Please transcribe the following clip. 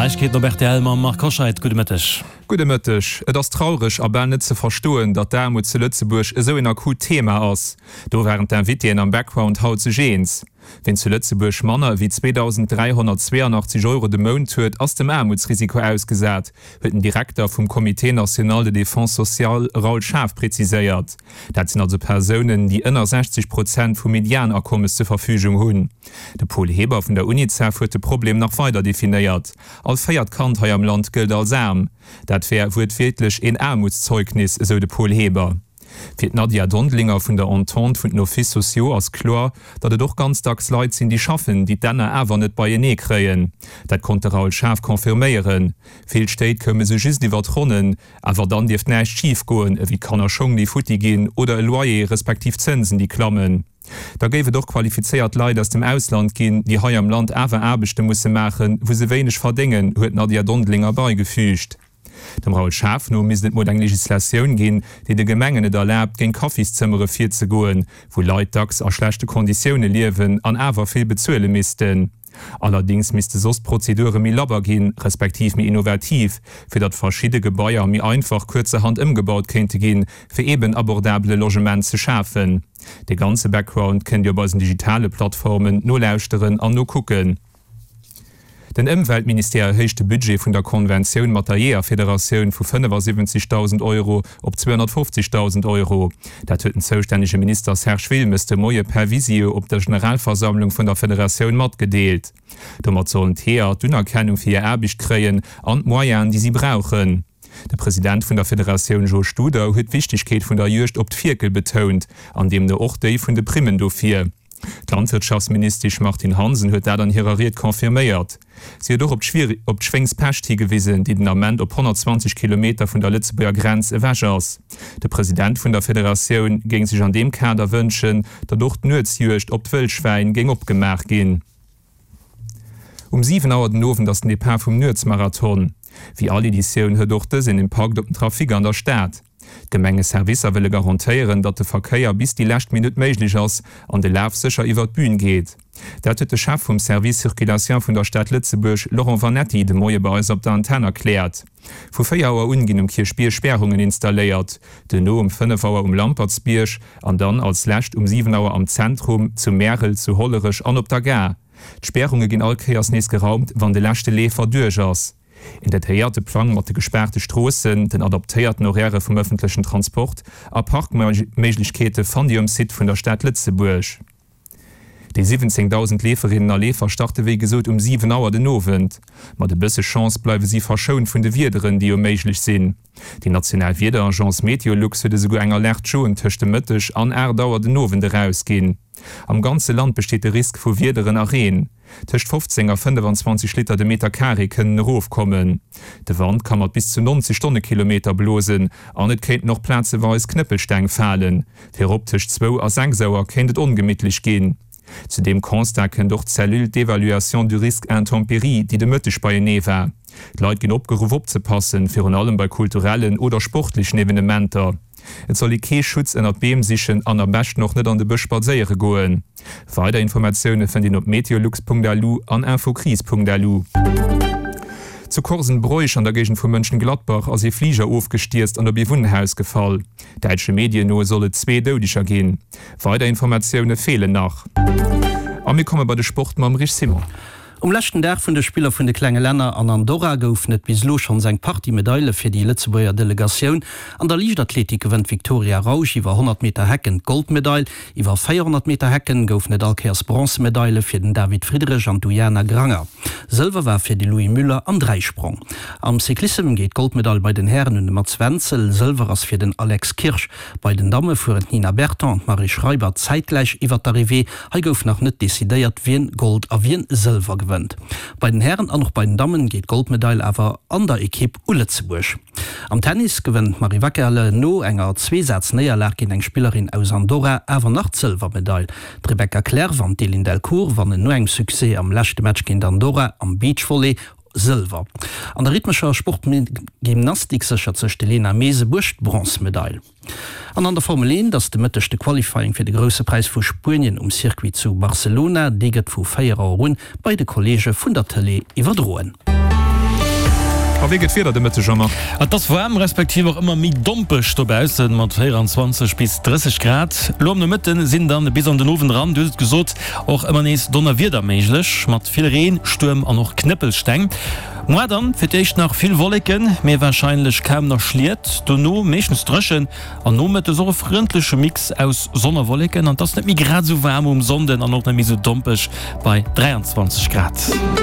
Neiegkeeten op rtl mam Marc Hoscheid. Gudde Mëtteg. Gudde Mëtteg. Et ass traureg a bal net ze verstoen, datt d'Aarmut zu Lëtzebuerg esou een akut Thema ass. Do waren d'Invitéen am Background haut sech eens. Ween zu Lëtzebuerg manner ewéi 2.382 Euro de Mount huet, ass dem Aarmutsrisiko ausgesat, huet den Direkter vum Comité national de défense sociale Raoul Schaaf preziséiert. Dat sinn also Persounen, déi ënner 60 Prozent vum Medianakommes zur Verfügung hunn. De Paul Heber vun der Unicef huet de Problem nach weider definéiert, All véiert Kand hei am Land gëllt als aarm. Dat wär wuertwiertlech een Aarmutszeugnis, esou de Paul Heber. Fir d'Nadia Dondelinger vun der Entente vun den Offices sociaux ass kloer, datt et och ganz dacks Leit sinn, déi schaffen, déi d'Enner awer net beienee kréien. Dat konnt de Raoul Schaaf confirméieren. Vill Stéit koume sou just iwwer d'Ronnen, awer dann dierft näischt schif goen, ewéi Kannerschong, déi futti ginn oder e Loyer respektiv Zënsen, déi klammen. Da géif et och qualifizéiert Leit aus dem Ausland ginn, déi hei am Land awer Aarbechte musse maachen, wou se wéineg verdéngen, huet d'Nadia Dondelinger beigefügt. Dem Raoul Schaaf no misst et mol eng Legislatioun ginn, déi de Gemengen et erlaabt, géint Kaffiszëmmere virzegoen, wou Leit dacks a schlechte Konditioune liewen an awer vill bezuele missten. Allerdéngs misste soss d'Prozedure méi labber ginn, respektiv méi innovativ, fir datt verschidde Gebaier méi einfach kuerzerhand ëmgebaut kéinte ginn, fir eeben abordabele Logement ze schafen. De ganze Background kënnt Dir op eisen digitale Plattformen nolauschteren an nokucken. Den Ëmweltministère erhéicht de Budget vun der Konventioun mat der Jeeërfederatioun vu 75.000 Euro op 250.000 Euro. Dat huet den zoustännege Minister Serge Wilmes de Moie per Visio op der Generalversammlung vun der Federatioun matgedeelt. Domat sollen d'Jeeër d'Unerkennung fir hir Aarbecht kréien an d'Moyenen, déi si brauchen. De President vun der Federatioun Jo Studer huet d'Wichtegkeet vun der Juegd op d'Fierkel betount an deemno och déi vun de Primmen dofir. D'Landwirtschaftsministesch Martine Hansen huet dat an hirer Ried confirméiert. Si huet och op d'Schwéngspescht higewisen, déi den Ament op 120 Kilometer vun der Lëtzebuerger Grenz ewech ass. De President vun der Federatioun géing sech an deem Kader wënschen, datt och d'Nuetsjuegd op d'Wëllschwäin géing opgemaach ginn. Um 7 Auer den Owend ass den Depart vum Nuetsmarathon. Wéi all Editioun huet och dës een Impakt op den Trafic an der Stad. D'Gemengeservicer wëlle garantéieren, datt de Verkéier bis déi lescht Minutt méiglech ass an de Laf sécher iwwer d'Bün geet. Dat huet de Chef vum Service Circulation vun der Stad Lëtzebuerg, Laurent Vanetti, de Moie bei eis op der Antenn erkläert. Vu 4 Auer un ginn um Kierchbierg Spärungen installéiert, duerno um 5 Auer um Lampertsbierg an dann als lescht um 7 Auer am Zentrum, zu Märel, zu Hollerech an op der Gare. D'Spärunge ginn all Kéiers nees geraumt, wann de leschte Leefer duerch ass. Een detailléierte Plang mat de gespaarte Stroossen, den adaptéierten Horairë vum ëffentlechen Transport a Parkméiglechkeete fannt Dir um Site vun der Stad Lëtzebuerg. Déi 17.000 Leeferinnen a Leefer starte wéi gesot um 7 Auer den Owend. Mat e bësse Chance bleiwe si verschount vun de Wiederen, déi jo méiglech sinn. Déi national Wiederagence Meteolux huet esouguer eng Alerte jaune tëscht de Mëtteg an 8 Auer den Owend erausginn. Am ganze Land besteet de Risk vu Wiederen a Reen. Tëscht 15 a 25 Liter de Meter Carré kënnen erofkommen. De Wand ka mat bis zu 90 Stonnekilometer blosen an et kéinten och plazeweis Knëppelsteng falen. Virop tëscht zwou a 6 Auer kéint et ongemittlech ginn. Zu deem Constat kënnt och d'Cellule d'évaluation du risque intempéries, déi de Mëtteg beienee war. D'Leit ginn opgeruff opzepassen, virun allem bei kulturellen oder sportlechen Evenementer. Et soll ee kee Schutz ënnert Beem sichen an am beschten och net an de Bësch spadséiere goen. Weider Informatioune fënnt een op meteolux.lu an infocrise.lu. Zu Korsenbroich an der Géigend vu Mönchengladbach ass ee Fliger ofgestierzt an op ee Wunnhaus gefall. Däitsche Medien no soll et zwee Doudeger ginn. Weider Informatioune feelen nach. A mir komme bei de Sport mam Rich Simon. Um leschten Dag vun de Spiller vun de klenge Länner an Andorra goufen et bis elo schonns eng Partie Medaile fir déi Lëtzebuerger Delegatioun. An der Liichtathletik gewënnt d'Victoria Rausch iwwer 100 Meter Hecken d'Goldmedail. Iwwer 400 Meter Hecken goufen et all Kéiers Bronzemedaile fir den David Friedrich an d'Ujana Granger. Sëlwer war fir de Louis Müller am Dräisprong. Am Cyclissem geet d'Goldmedail bei den Hären un de Mats Wenzel, Sëlwer ass fir den Alex Kirsch. Bei den Damme fueren d'Nina Berton an d'Marie Schreiber zäitgläich iwwer d'Arrivée. Hei gouf nach net decidéiert, wien Gold a wien Sëlwer gewënnt. Bei den Hären an och bei den Dammen geet d'Goldmedail awer an der Ekipp u Lëtzebuerg. Am Tennis gewënnt d'Marie Wackerle no enger Zweesaz-Néierlag géint eng Spillerin aus Andorra awer nach d'Sëlwermedail. D'Rebecca Clerf an d'Eline Delcourt wannen no engem Succès am leschte Match géint Andorra am Beachvolley Sëlwer. An der rhythmescher Sportgymnastik séchert sech d'Elena Mesebuerg d'Bronzemedail. An an der Formel 1 ass de Mëtteg de Qualifying fir de Grousse Präis vu Spuenien um Circuit zu Barcelona. Dee gëtt vu 4 Auer un bei de Kolleege vun der Tëlee iwwerdroen. A wéi gëtt d'Wieder de Mëtteg, Jean-Marc? Et ass waarm, respektiv och ëmmer méi dompeg dobaussen, mat 24 bis 30 Grad. Elo am Nomëtte sinn dann bis an den Owend eran, du hues et gesot, och ëmmer nees Donnerwieder méiglech, mat vill Reen, Stuerm an och Knëppelsteng. Moar dann fir d'éischt nach vill Wolleken, mee warscheinlech kaum nach Schliet, dono meeschtens dréchen an nomëttes och e frëndleche Mix aus Sonn a Wolleken. An et ass net méi grad esou waarm um Sonnden an och net méi esou dompeg bei 23 Grad.